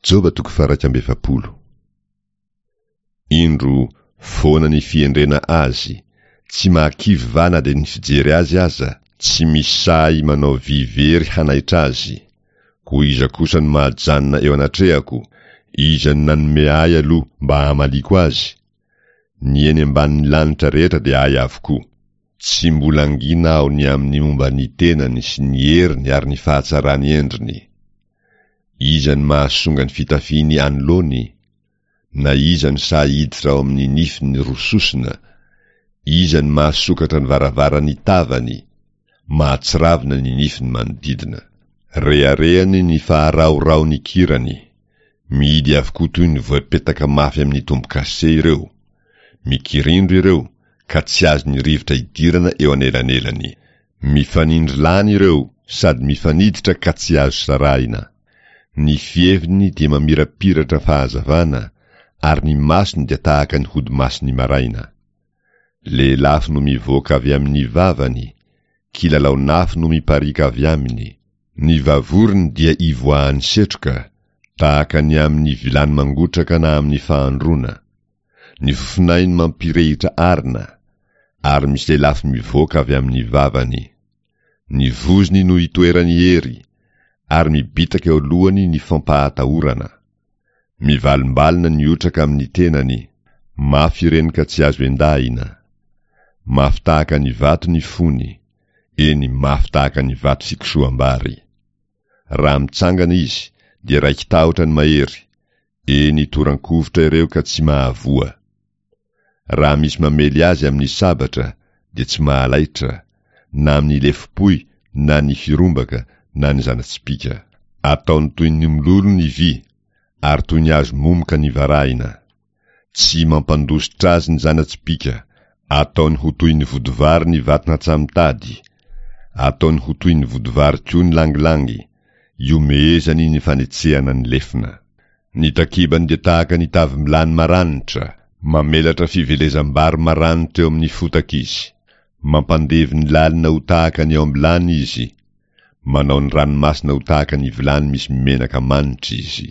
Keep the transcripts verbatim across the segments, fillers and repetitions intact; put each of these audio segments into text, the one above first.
Joba toko faha-iraika amby efapolo. Indro, foana ny fihendrena azy, tsy mahakivy va na dia ny fijery azy aza, tsy misy sahy manao vy very hanaitra azy. Koa iza kosa no mahajanona eo anatrehako? Iza no nanome ahy aloha mba hamaliako azy? Ny eny ambanin'ny lanitra rehetra dia ahy avokoa. Tsy mbola angina aho ny amin'ny momba ny tenany sy ny heriny ary ny fahatsaran'ny endriny. Iza no mahasonga ny fitafiany anoloany? Na iza no sahy hiditra ao amin'ny nifiny roa sosona? Iza no mahasokatra ny varavaran'ny tavany? Mahatsiravina ny nifiny manodidina. Reharehany ny faharahoraho ny kirany. Mihidy avokoa toy ny voapetaka mafy amin'ny tombo-kase ireo. Mikirindro ireo, ka tsy azon'ny rivotra idirana eo anelanelany. Mifanindry lany ireo sady mifaniditra ka tsy azo sarahina. Ny fiheviny dia mamirapiratra fahazavana, ary ny masony dia tahaka ny hodi-mason'ny maraina. Lelafo no mivoaka avy amin'ny vavany, kilalaon'afo no mipariaka avy aminy. Ny vavorony dia ivoahan'ny setroka, tahaka ny amin'ny vilany mangotraka na amin'ny fahandroana. Ny fofonainy mampirehitra arina, ary misy lelafo mivoaka avy amin'ny vavany. Ny vozony no itoeran'ny hery, ary mibitaka eo alohany ny fampahatahorana. Mivalombalona ny otraka amin'ny tenany, mafy ireny ka tsy azo endahina. Mafy tahaka ny vato ny fony, eny mafy tahaka ny vato fikosoham-bary. Raha mitsangana izy, dia raiki-tahotra ny mahery, eny toran-kovitra ireo ka tsy mahavoa. Raha misy mamely azy amin'ny sabatra, dia tsy mahalaitra, na amin'ny lefom-pohy na ny firombaka na ny zana-tsipìka. Ataony toy ny mololo ny vy, ary toy ny hazo momoka ny varahina. Tsy mampandositra azy ny zana-tsipìka, ataony ho toy ny vodivary ny vaton'antsamotady, ataony ho toy ny vodivary koa ny langilangy, iomehezany ny fanetsehana ny lefona. Ny takibany dia tahaka ny tavim-bilany maranitra, mamelatra fivelezam-bary maranitra eo amin'ny fotaka izy. Mampandevy ny lalina ho tahaka ny ao am-bilany izy, manao ny ranomasina ho tahaka ny vilany misy menaka manitra izy.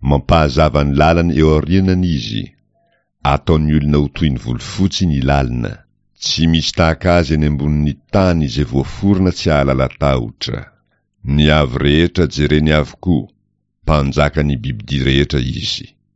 Mampahazava ny lalany eo aorianany izy, ataon'ny olona ho toy ny volofotsy ny lalina. Tsy misy tahaka azy eny ambonin'ny tany izay voaforona tsy hahalala tahotra. Ny avo rehetra jereny avokoa, mpanjakan'ny bibidia rehetra izy.